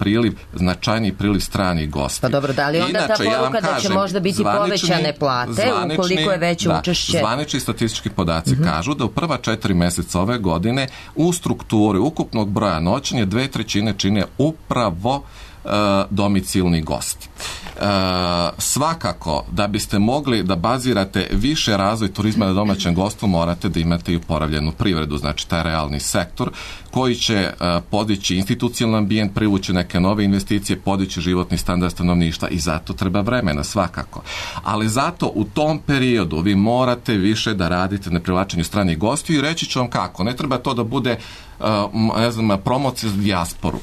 značajni priliv stranih gostiju. Pa dobro, da li onda ta poruka da će možda biti povećane plate ukoliko je veće učešće? Zvanični statistički podaci kažu da u prva 4 meseca ove godine u strukturi ukupnog broja noćenja 2/3 čine upravo domicilni gosti. Svakako, da biste mogli da bazirate više razvoj turizma na domaćem gostvu, morate da imate i oporavljenu privredu, znači taj realni sektor koji će podići institucionalni ambijent, privući neke nove investicije, podići životni standard stanovništva i zato treba vremena, svakako. Ali zato u tom periodu vi morate više da radite na privlačenju stranih gostiju i reći ću vam kako. Ne treba to da bude promocija za dijasporu.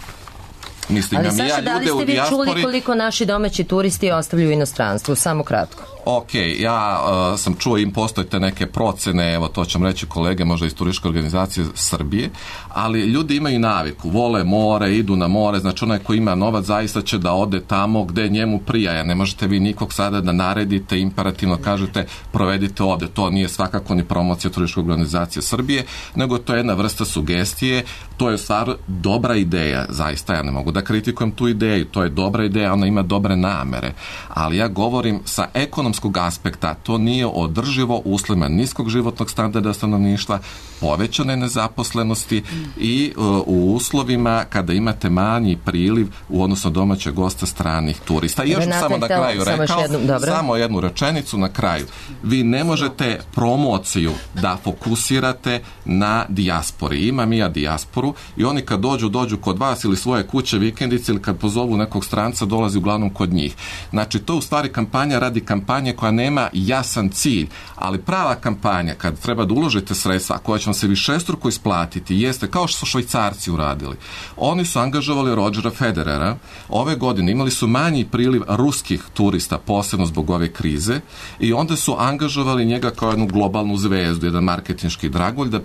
Mislim, ali Saša, da li ste vi čuli koliko naši domaći turisti ostavljaju u inostranstvu? Samo kratko. Ok, ja sam čuo im postoje te neke procene, evo to ćem reći kolege možda iz turističke organizacije Srbije, ali ljudi imaju naviku, vole more, idu na more, znači onaj ko ima novac zaista će da ode tamo gde njemu prijaja, ne možete vi nikog sada da naredite, imperativno kažete provedite ovde, to nije svakako ni promocija turističke organizacije Srbije, nego to je jedna vrsta sugestije, to je stvar dobra ideja, zaista ja ne mogu da kritikujem tu ideju, to je dobra ideja, ona ima dobre namere, ali ja govorim sa ekonomskog aspekta, to nije održivo uslovima niskog životnog standarda stanovništva, povećane nezaposlenosti i u uslovima kada imate manji priliv u odnosu domaćeg gosta stranih turista. I još samo na kraju rekao, samo jednu rečenicu na kraju. Vi ne možete promociju da fokusirate na dijaspori. Imam i ja dijasporu i oni kad dođu kod vas ili svoje kuće, vikendice ili kad pozovu nekog stranca, dolazi uglavnom kod njih. Znači, to je u stvari kampanja radi kampanje kampanje koja nema jasan cilj, ali prava kampanja kad treba da uložite sredstva koja će vam se višestruko isplatiti jeste kao što su Švajcarci uradili. Oni su angažovali Rodgera Federera. Ove godine imali su manji priliv ruskih turista, posebno zbog ove krize, i onda su angažovali njega kao jednu globalnu zvezdu, jedan marketinški dragulj da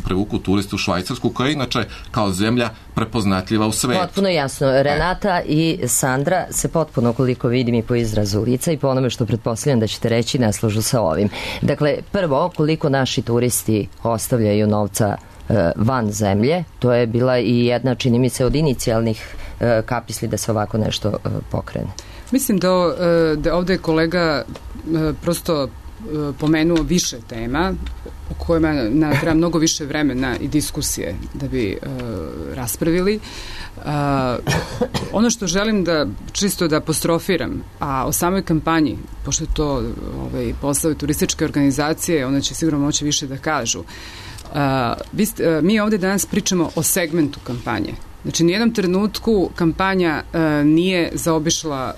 prevuku turiste u Švajcarsku, koja je inače kao zemlja prepoznatljiva u svetu. Potpuno jasno. Renata i Sandra se potpuno, koliko vidim i po izrazu lica i po onome što pretpostavljam da ćete reći, ne slažu sa ovim. Dakle, prvo, koliko naši turisti ostavljaju novca van zemlje, to je bila i jedna, čini mi se, od inicijalnih kapisli da se ovako nešto pokrene. Mislim da ovde je kolega prosto pomenuo više tema o kojima treba mnogo više vremena i diskusije da bi raspravili. Ono što želim da čisto da apostrofiram, a o samoj kampanji, pošto je to posao turističke organizacije, one će sigurno moći više da kažu. Mi ovde danas pričamo o segmentu kampanje. Znači, nijednom trenutku kampanja nije zaobišla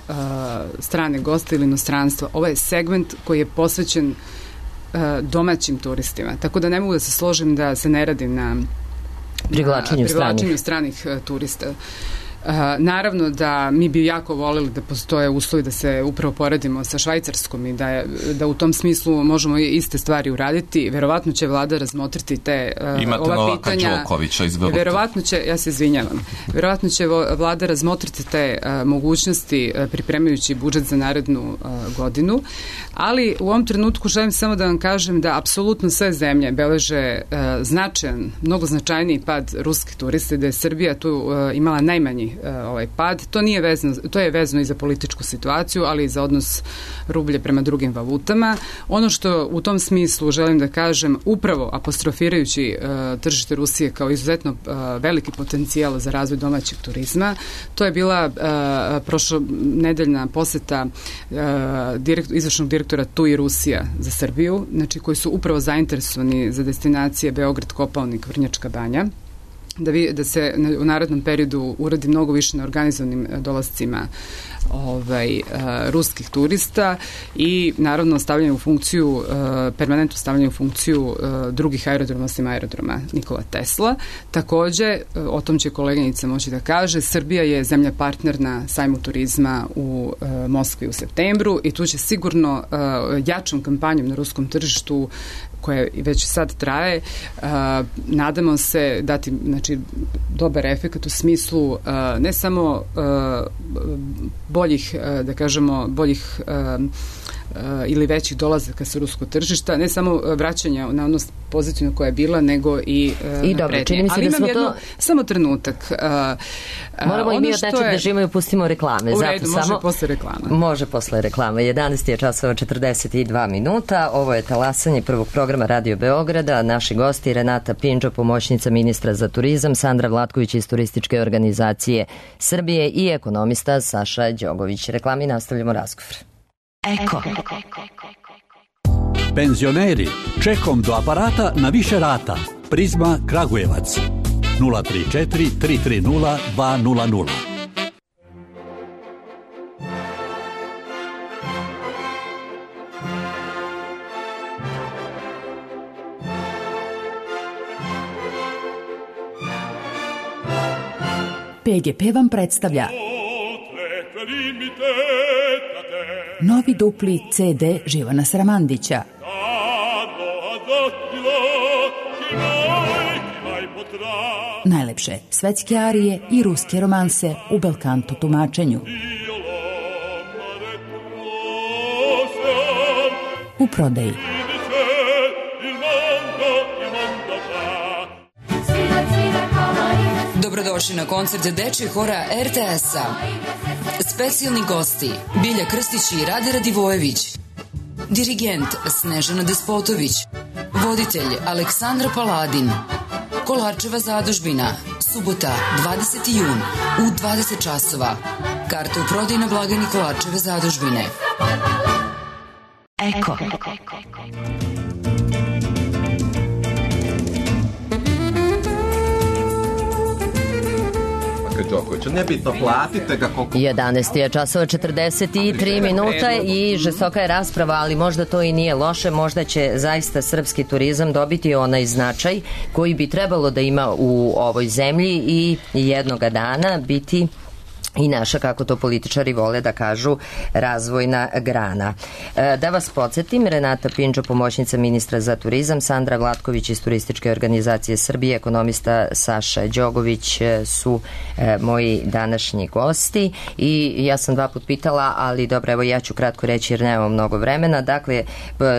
strane goste ili inostranstva. Ovo je segment koji je posvećen domaćim turistima. Tako da ne mogu da se složim da se ne radi na privlačenju stranih turista. Naravno da mi bi jako voleli da postoje uslovi da se upravo poredimo sa Švajcarskom i da u tom smislu možemo iste stvari uraditi. Verovatno će vlada razmotriti ova pitanja. Imate Novaka Đokovića, izvolite. Verovatno će, ja se izvinjavam, verovatno će vlada razmotriti te mogućnosti pripremajući budžet za narednu godinu, ali u ovom trenutku želim samo da vam kažem da apsolutno sve zemlje beleže značajan, mnogo značajniji pad ruskih turista, da je Srbija tu imala najmanji pad. To je vezano i za političku situaciju, ali i za odnos rublje prema drugim valutama. Ono što u tom smislu želim da kažem, upravo apostrofirajući tržište Rusije kao izuzetno veliki potencijal za razvoj domaćeg turizma, to je bila prošlonedeljna poseta izvršnog direktora TUI Rusija za Srbiju, znači koji su upravo zainteresovani za destinacije Beograd, Kopaonik, Vrnjačka Banja, da se u narednom periodu uradi mnogo više na organizovanim dolascima ruskih turista i naravno stavljanje u funkciju, permanentno stavljanje u funkciju drugih aerodroma osim aerodroma Nikola Tesla. Takođe, o tom će koleginica moći da kaže, Srbija je zemlja partner na sajmu turizma u Moskvi u septembru i tu će sigurno jačom kampanjom na ruskom tržištu koja već sad traje, nadamo se dati dobar efekt u smislu ne samo boljih, da kažemo, boljih ili većih dolazaka sa ruskog tržišta, ne samo vraćanja na odnos poziciju koja je bila, nego i dobro, čini mi se ali da smo to... Samo trenutak. Moramo i mi od nečeg da živimo i pustimo reklame. U redu, može posle reklama. Može posle reklama. 11 je časova 42 minuta. Ovo je talasanje prvog programa Radio Beograda. Naši gosti Renata Pinđo, pomoćnica ministra za turizam, Sandra Vlatković iz turističke organizacije Srbije i ekonomista Saša Đogović. Reklami, nastavljamo razgovor. Eko. Penzioneri, čekom do aparata na više rata. Prizma Kragujevac 034 330 200. PGP vam predstavlja novi dupli CD Živana Sramandića. Najlepše svetske arije i ruske romanse u belkanto tumačenju. U prodaji. Dobrodošli na koncert dečjeg hora RTS-a. Specijalni gosti Bilja Krstić i Rade Radivojević. Dirigent Snežana Despotović. Voditelj Aleksandra Paladin. Kolarčeva zadužbina. Subota, 20. jun u 20 časova. Karte u prodaju na blagajni Kolarčeve zadužbine. Eko. Kad Đokovića. Nebitno, platite ga koliko... 11 je časova 43 minuta i žestoka je rasprava, ali možda to i nije loše, možda će zaista srpski turizam dobiti onaj značaj koji bi trebalo da ima u ovoj zemlji i jednoga dana biti i naša, kako to političari vole da kažu, razvojna grana. Da vas podsjetim, Renata Pinđo, pomoćnica ministra za turizam, Sandra Vlatković iz Turističke organizacije Srbije, ekonomista Saša Đogović su moji današnji gosti i ja sam 2 puta pitala, ali dobro, evo ja ću kratko reći jer nemamo mnogo vremena. Dakle,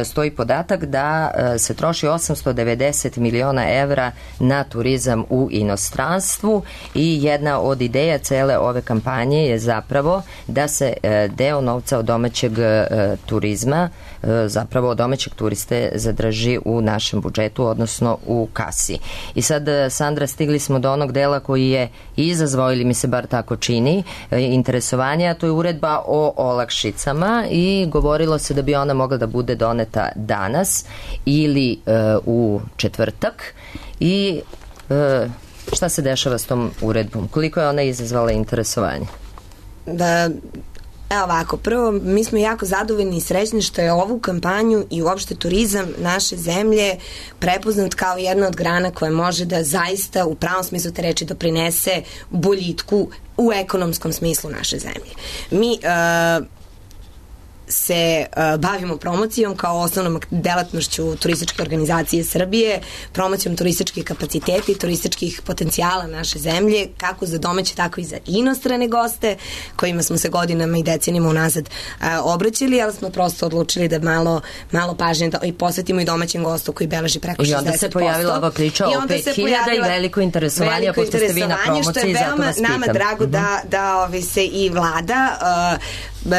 stoji podatak da se troši 890 miliona evra na turizam u inostranstvu i jedna od ideja cele ove kampanje je zapravo da se deo novca od domaćeg turizma, zapravo od domaćeg turiste zadrži u našem budžetu, odnosno u kasi. I sad, Sandra, stigli smo do onog dela koji je izazvao, ili mi se bar tako čini, interesovanje, a to je uredba o olakšicama i govorilo se da bi ona mogla da bude doneta danas ili u četvrtak i šta se dešava s tom uredbom? Koliko je ona izazvala interesovanje? Evo ovako, prvo, mi smo jako zadovoljni i srećni što je ovu kampanju i uopšte turizam naše zemlje prepoznat kao jedna od grana koja može da zaista u pravom smislu te reči doprinese boljitku u ekonomskom smislu naše zemlje. Mi se bavimo promocijom kao osnovnom delatnošću turističke organizacije Srbije, promocijom turističkih kapaciteta i turističkih potencijala naše zemlje, kako za domaće, tako i za inostrane goste, kojima smo se godinama i decenijama unazad obraćali, ali smo prosto odlučili da malo pažnje i posvetimo i domaćem gostu koji beleži preko 60%. I onda se pojavila ova priča o 5.000 i veliko interesovanje, pošto ste vi na promociji, zato vas pitam. Nama drago da se i vlada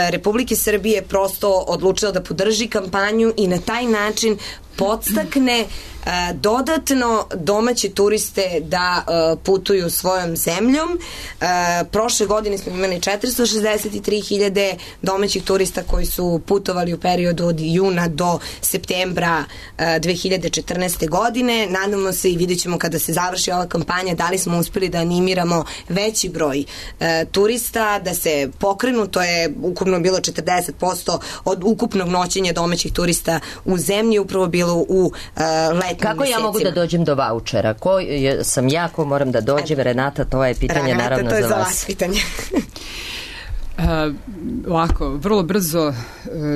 Republike Srbije prosto odlučila da podrži kampanju i na taj način podstakne dodatno domaće turiste da putuju svojom zemljom. Prošle godine smo imali 463.000 domaćih turista koji su putovali u periodu od juna do septembra 2014. godine. Nadamo se i vidjet ćemo kada se završi ova kampanja da li smo uspeli da animiramo veći broj turista, da se pokrenu. To je ukupno bilo 40% od ukupnog noćenja domaćih turista u zemlji, upravo bilo u letnim Kako mesecima. Ja mogu da dođem do vaučera? Ko sam ja, ko moram da dođem? Renata, to je pitanje naravno za vas. Renata, to je za vas pitanje. Ovako, vrlo brzo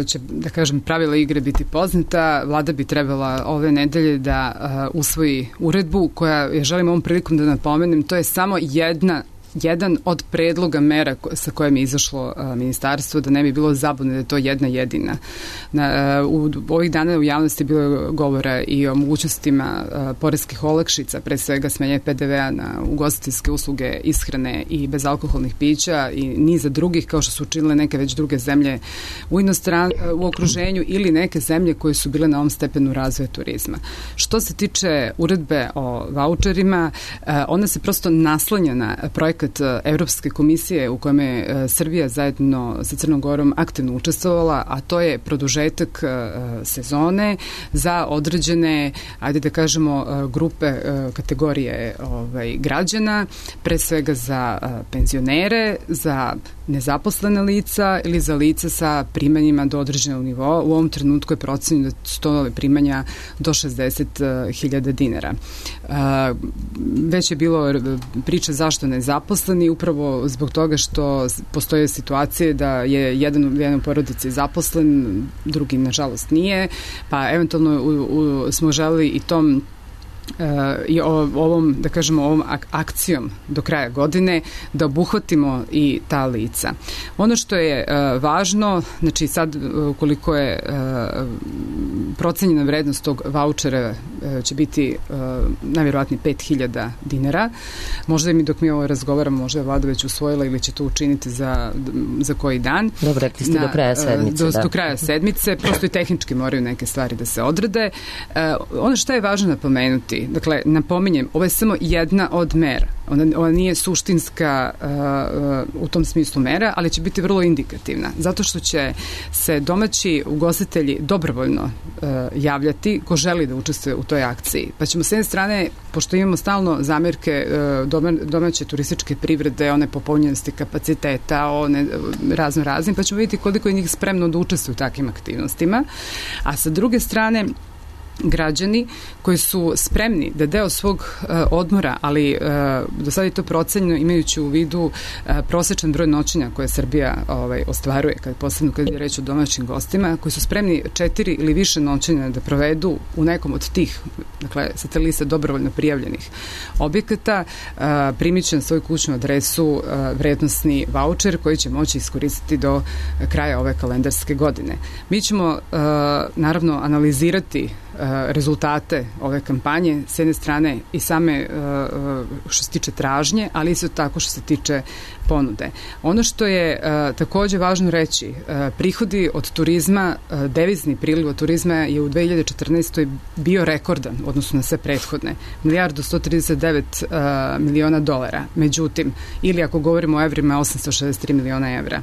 će, da kažem, pravila igre biti poznata. Vlada bi trebala ove nedelje da usvoji uredbu koja, ja želim ovom prilikom da napomenem, to je samo jedan od predloga mera sa kojim je izašlo ministarstvo, da ne bi bilo zabune da je to jedna jedina. U ovih dana u javnosti je bilo govora i o mogućnostima poreskih olakšica, pre svega smenje PDV-a na ugostiteljske usluge, ishrane i bezalkoholnih pića i niza drugih, kao što su učinile neke već druge zemlje u okruženju ili neke zemlje koje su bile na ovom stepenu razvoja turizma. Što se tiče uredbe o vaučerima, ona se prosto naslanja na projekat Evropske komisije u kojem je Srbija zajedno sa Crnom Gorom aktivno učestvovala, a to je produžetak sezone za određene, ajde da kažemo, grupe, kategorije građana, pre svega za penzionere, za nezaposlene lica ili za lica sa primanjima do određenog nivoa. U ovom trenutku je procenjeno da su to primanja do 60.000 dinara. Već je bilo priča zašto nezaposleni, upravo zbog toga što postoje situacije da je jedan u porodici zaposlen, drugi nažalost nije, pa eventualno smo želeli i tom i ovom, da kažemo, ovom akcijom do kraja godine da obuhvatimo i ta lica. Ono što je važno, znači sad koliko je procenjena vrednost tog vaučera će biti najvjerovatnije 5.000 dinara. Možda mi dok mi ovo razgovaramo, možda je vlada već usvojila ili će to učiniti za koji dan. Dobro, rekli ste do kraja sedmice. Do kraja sedmice, prosto i tehnički moraju neke stvari da se odrede. Ono što je važno napomenuti, dakle, napominjem, ovo je samo jedna od mera. Ona nije suštinska u tom smislu mera, ali će biti vrlo indikativna, zato što će se domaći ugostitelji dobrovoljno javljati, ko želi da učestvuje toj akciji. Pa ćemo s jedne strane, pošto imamo stalno zamerke domaće turističke privrede, one popunjenosti kapaciteta, one raznim, pa ćemo vidjeti koliko je njih spremno da učestvuju u takvim aktivnostima. A sa druge strane, građani koji su spremni da deo svog odmora, ali do sada je to procenjeno imajući u vidu prosečan broj noćenja koje Srbija ostvaruje, posebno kad je reč o domaćim gostima, koji su spremni 4 ili više noćenja da provedu u nekom od tih, dakle, sa te liste dobrovoljno prijavljenih objekata, primit će na svoju kućnu adresu vrednosni vaučer koji će moći iskoristiti do kraja ove kalendarske godine. Mi ćemo naravno analizirati rezultate ove kampanje, s jedne strane i same što se tiče tražnje, ali isto tako što se tiče ponude. Ono što je takođe važno reći, prihodi od turizma, devizni priliv od turizma je u 2014. bio rekordan, odnosno na sve prethodne, $1.139 miliona. Međutim, ili ako govorimo o evrima, 863 miliona evra.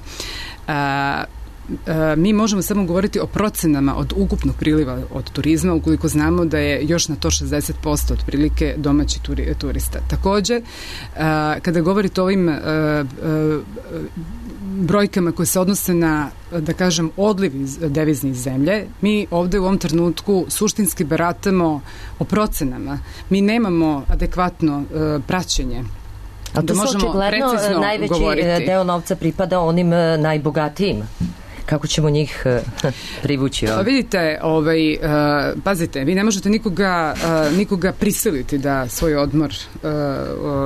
Mi možemo samo govoriti o procenama od ukupnog priliva od turizma, ukoliko znamo da je još na to 60% otprilike domaći turista. Takođe, kada govorite o ovim brojkama koje se odnose na, da kažem, odliv iz deviznih zemlje, mi ovde u ovom trenutku suštinski baratamo o procenama. Mi nemamo adekvatno praćenje. A to su očigledno najveći deo novca pripada onim najbogatijim. Kako ćemo njih privući? Pa vidite, pazite, vi ne možete nikoga prisiliti da svoj odmor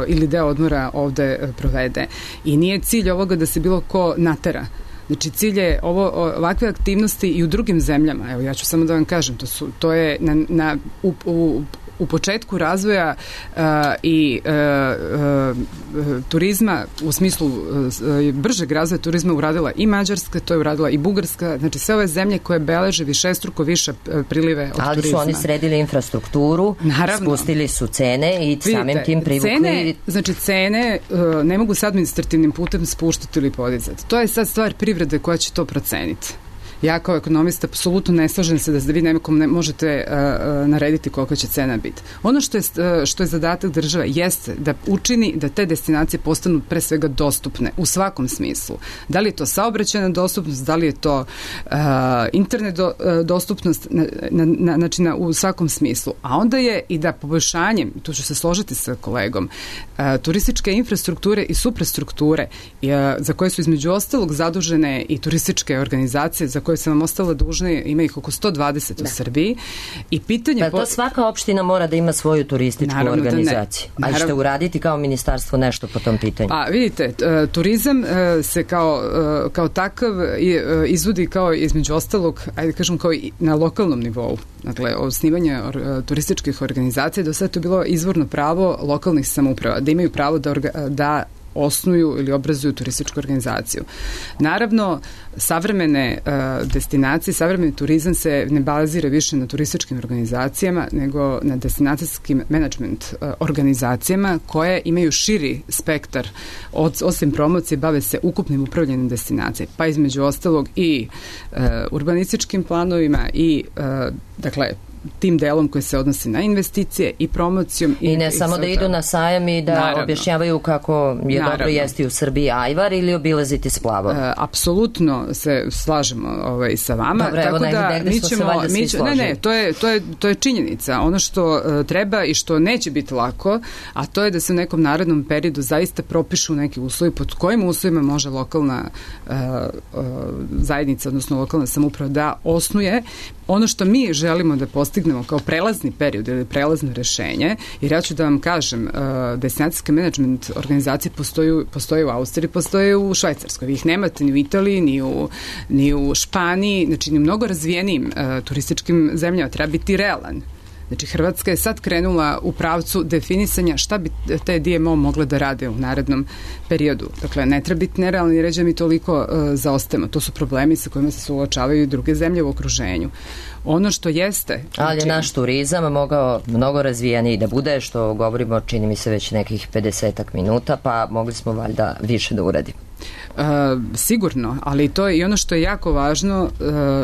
ili deo odmora ovde provede. I nije cilj ovoga da se bilo ko natera. Znači, cilj je ovakve aktivnosti i u drugim zemljama. Evo, ja ću samo da vam kažem, to je u početku razvoja i turizma, u smislu bržeg razvoja turizma uradila i Mađarska, to je uradila i Bugarska, znači sve ove zemlje koje beleže višestruko više prilive od turizma. Ali su oni sredili infrastrukturu, spustili su cene i samim tim privukli... Cene ne mogu se administrativnim putem spuštati ili podizati. To je sad stvar privrede koja će to proceniti. Ja kao ekonomista apsolutno ne slažem se da vi nekom ne možete narediti koliko će cena biti. Ono što je zadatak države jeste da učini da te destinacije postanu pre svega dostupne u svakom smislu. Da li je to saobraćajna dostupnost, da li je to internet dostupnost, znači u svakom smislu. A onda je i da poboljšanjem, tu ću se složiti sa kolegom, turističke infrastrukture i suprastrukture za koje su između ostalog zadužene i turističke organizacije za koje sam vam ostala dužna, ima ih oko 120 u Srbiji. I pitanje... Pa to svaka opština mora da ima svoju turističku organizaciju. A ćete uraditi kao ministarstvo nešto po tom pitanju? Pa vidite, turizam se kao takav izvodi kao između ostalog, ajde kažem, kao i na lokalnom nivou. Dakle, osnivanje turističkih organizacija, do sada to je bilo izvorno pravo lokalnih samouprava, da imaju pravo da osnuju ili obrazuju turističku organizaciju. Naravno, savremene destinacije, savremeni turizam se ne bazira više na turističkim organizacijama, nego na destinacijskim menadžment organizacijama koje imaju širi spektar. Osim promocije, bave se ukupnim upravljanjem destinacije, pa između ostalog i urbanističkim planovima i, dakle, tim delom koji se odnosi na investicije i promocijom. I ne samo da idu na sajam i da objašnjavaju kako je dobro jesti u Srbiji ajvar ili obilaziti Splavov. Apsolutno se slažemo sa vama. Dobre, evo negde smo se valjda svi složili. Ne, to je činjenica. Ono što treba i što neće biti lako, a to je da se u nekom narednom periodu zaista propišu neki uslovi, pod kojim uslovima može lokalna zajednica, odnosno lokalna samouprava da osnuje ono što mi želimo da postignemo kao prelazni period ili prelazno rešenje, jer ja ću da vam kažem, destinacijske menadžment organizacije postoje u Austriji, postoje u Švajcarskoj. Vi ih nemate ni u Italiji, ni u Španiji, znači ni u mnogo razvijenijim turističkim zemljama. Treba biti realan. Znači, Hrvatska je sad krenula u pravcu definisanja šta bi te DMO mogle da rade u narednom periodu. Dakle, ne treba biti nerealni i reći da mi toliko zaostajemo. To su problemi sa kojima se suočavaju i druge zemlje u okruženju. Ono što jeste... Ali je naš turizam mogao mnogo razvijeniji da bude, što govorimo, čini mi se, već nekih 50 minuta, pa mogli smo valjda više da uradimo. Sigurno, ali to je i ono što je jako važno,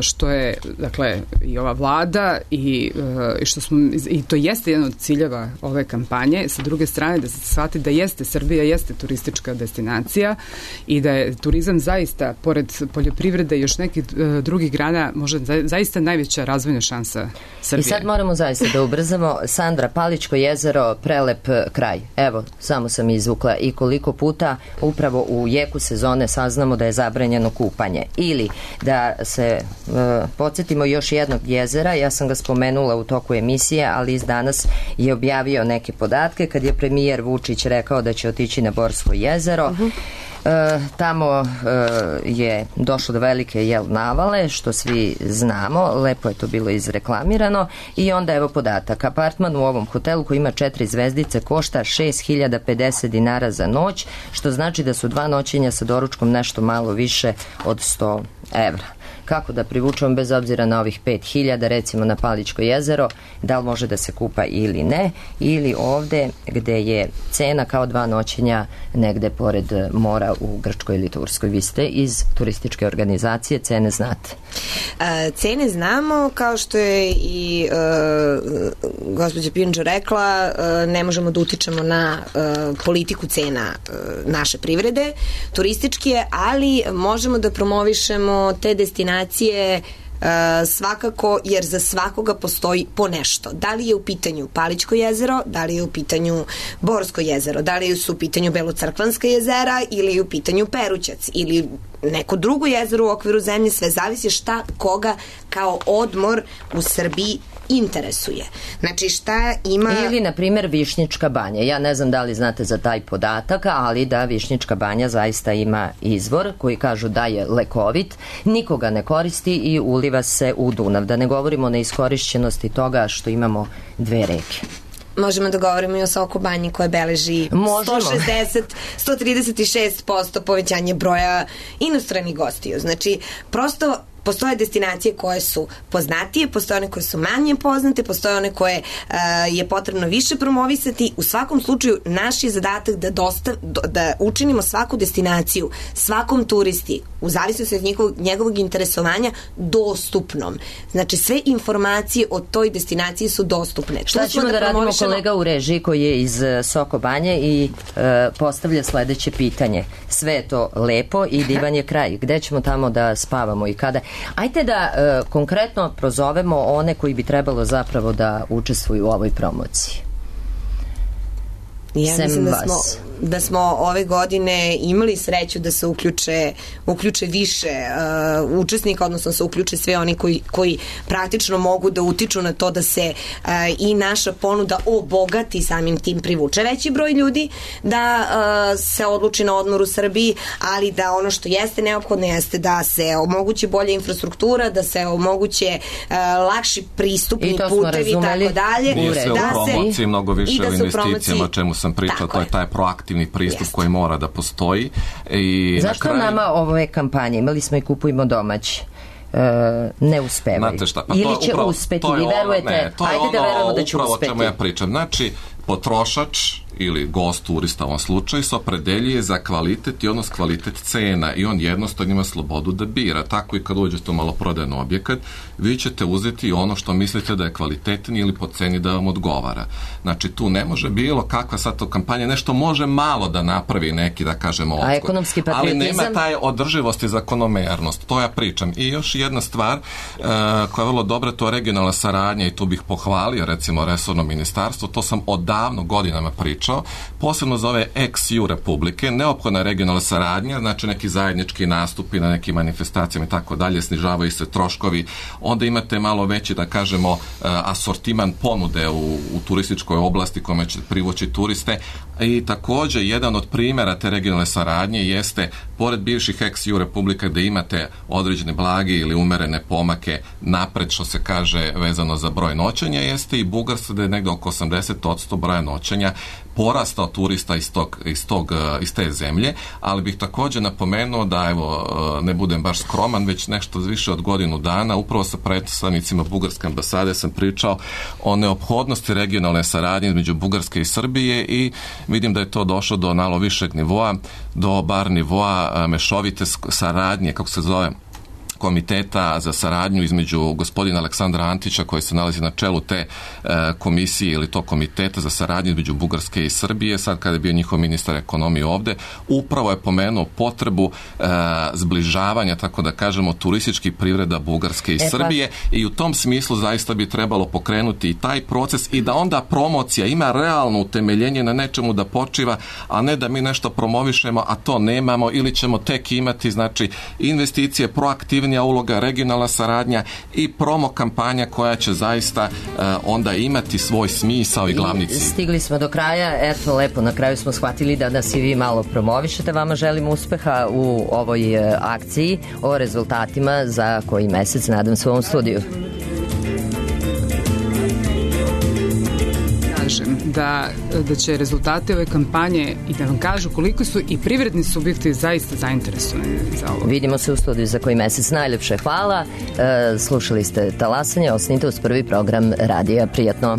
što je, dakle, i ova vlada i što smo, i to jeste jedan od ciljeva ove kampanje, sa druge strane da se shvati da jeste Srbija, jeste turistička destinacija i da je turizam zaista, pored poljoprivrede i još nekih drugih grana, možda zaista najveća razvojna šansa Srbije. I sad moramo zaista da ubrzamo. Sandra, Palićko jezero, prelep kraj. Evo, samo sam izvukla i koliko puta upravo u jeku sezone saznamo da je zabranjeno kupanje. Ili da se podsjetimo još jednog jezera, ja sam ga spomenula u toku emisije, ali iz danas je objavio neke podatke kad je premijer Vučić rekao da će otići na Borsko jezero. Tamo je došlo do velike navale, što svi znamo, lepo je to bilo izreklamirano i onda evo podatak, apartman u ovom hotelu koji ima 4 zvezdice košta 6.050 dinara za noć, što znači da su 2 noćenja sa doručkom nešto malo više od 100 evra. Kako da privučemo bez obzira na ovih 5.000, recimo na Palićko jezero, da li može da se kupa ili ne, ili ovde gde je cena kao 2 noćenja negde pored mora u Grčkoj ili Turskoj. Vi ste iz turističke organizacije, cene znate. Cene znamo, kao što je i gospođa Pinđo rekla, ne možemo da utičemo na politiku cena naše privrede, turističke, ali možemo da promovišemo te destinacije svakako, jer za svakoga postoji po nešto. Da li je u pitanju Palićko jezero, da li je u pitanju Borsko jezero, da li su u pitanju Belocrkvanska jezera ili je u pitanju Perućac ili neko drugo jezero u okviru zemlje, sve zavisi šta koga kao odmor u Srbiji interesuje. Znači šta ima... Ili, na primjer, Višnjička banja. Ja ne znam da li znate za taj podatak, ali da Višnjička banja zaista ima izvor koji kažu da je lekovit, nikoga ne koristi i uliva se u Dunav. Da ne govorimo o neiskorišćenosti toga što imamo 2 reke. Možemo da govorimo i o Soko banji koja beleži 136% povećanje broja inostranih gostiju. Znači, prosto postoje destinacije koje su poznatije, postoje one koje su manje poznate, postoje one koje je potrebno više promovisati. U svakom slučaju, naš je zadatak da učinimo svaku destinaciju, svakom turisti, u zavisnosti od njegovog interesovanja, dostupnom. Znači, sve informacije o toj destinaciji su dostupne. Šta ćemo da radimo, kolega u režiji koji je iz Soko banje i postavlja sledeće pitanje. Sve je to lepo i divan je kraj. Gde ćemo tamo da spavamo i kada? Ajde da konkretno prozovemo one koji bi trebalo zapravo da učestvuju u ovoj promociji. Ja mislim da smo ove godine imali sreću da se uključe više učesnika, odnosno se uključe sve oni koji praktično mogu da utiču na to da se i naša ponuda obogati, samim tim privuče veći broj ljudi, da se odluči na odmor u Srbiji, ali da ono što jeste neophodno jeste da se omogući bolja infrastruktura, da se omoguće lakši pristupni putevi i tako dalje. Nije se u promociji mnogo više o investicijama, o čemu sam pričao, to je taj proaktivni pristup koji mora da postoji. I zašto nama ove kampanje, imali smo i Kupujmo domaći, ne uspevaju? Ili će uspeti, vi verujete? Ajde da verujemo da će uspeti. Upravo o čemu ja pričam. Znači, potrošač ili gost, turista u ovom slučaju, se opredeljuje za kvalitet i odnos kvalitet cena i on jednostavno ima slobodu da bira. Tako i kad uđete u maloprodajni objekat, vi ćete uzeti ono što mislite da je kvalitetnije ili po ceni da vam odgovara. Znači, tu ne može bilo kakva sad to kampanja, nešto može malo da napravi neki, da kažemo, odskok. A ekonomski patriotizam? Ali nema taj održivost i zakonomernost. To ja pričam. I još jedna stvar koja je vrlo dobra, to je regionalna saradnja i tu bih pohvalio, recimo, resorno ministarstvo. To sam odavno godinama pričao. Posebno za ove ex-EU republike, neophodna je regionalna saradnja, znači neki zajednički nastupi na nekim manifestacijama i tako dalje, snižavaju se troškovi, onda imate malo veći, da kažemo, asortiman ponude u turističkoj oblasti kojima će privući turiste. I takođe, jedan od primjera te regionalne saradnje jeste, pored bivših ex-EU republika gde imate određene blage ili umerene pomake napred, što se kaže, vezano za broj noćenja, jeste i Bugarska, da je negde oko 80% broja noćenja porastao turista iz te zemlje, ali bih također napomenuo da, ne budem baš skroman, već nešto više od godinu dana, upravo sa predstavnicima Bugarske ambasade sam pričao o neophodnosti regionalne saradnje između Bugarske i Srbije i vidim da je to došlo do malo višeg nivoa, do bar nivoa mešovite saradnje, kako se zove, komiteta za saradnju između gospodina Aleksandra Antića koji se nalazi na čelu te komisije ili to komiteta za saradnju između Bugarske i Srbije, sad kada je bio njihov ministar ekonomije ovde, upravo je pomenuo potrebu zbližavanja, tako da kažemo, turističkih privreda Bugarske i Srbije i u tom smislu zaista bi trebalo pokrenuti i taj proces i da onda promocija ima realno utemeljenje na nečemu da počiva, a ne da mi nešto promovišemo, a to nemamo ili ćemo tek imati, znači, investicije, proaktivne uloga, regionalna saradnja i promo kampanja koja će zaista onda imati svoj smisao i glavni cilj. Stigli smo do kraja, eto lepo, na kraju smo shvatili da nas i vi malo promovišete, vama želim uspeha u ovoj akciji, o rezultatima za koji mesec, nadam se, u ovom studiju. Da će rezultate ove kampanje i da vam kažu koliko su i privredni subjekti zaista zainteresovani za ovo. Vidimo se u studiju za koji mesec. Najljepše hvala. Slušali ste Talasanje, ostanite uz prvi program radija. Prijatno.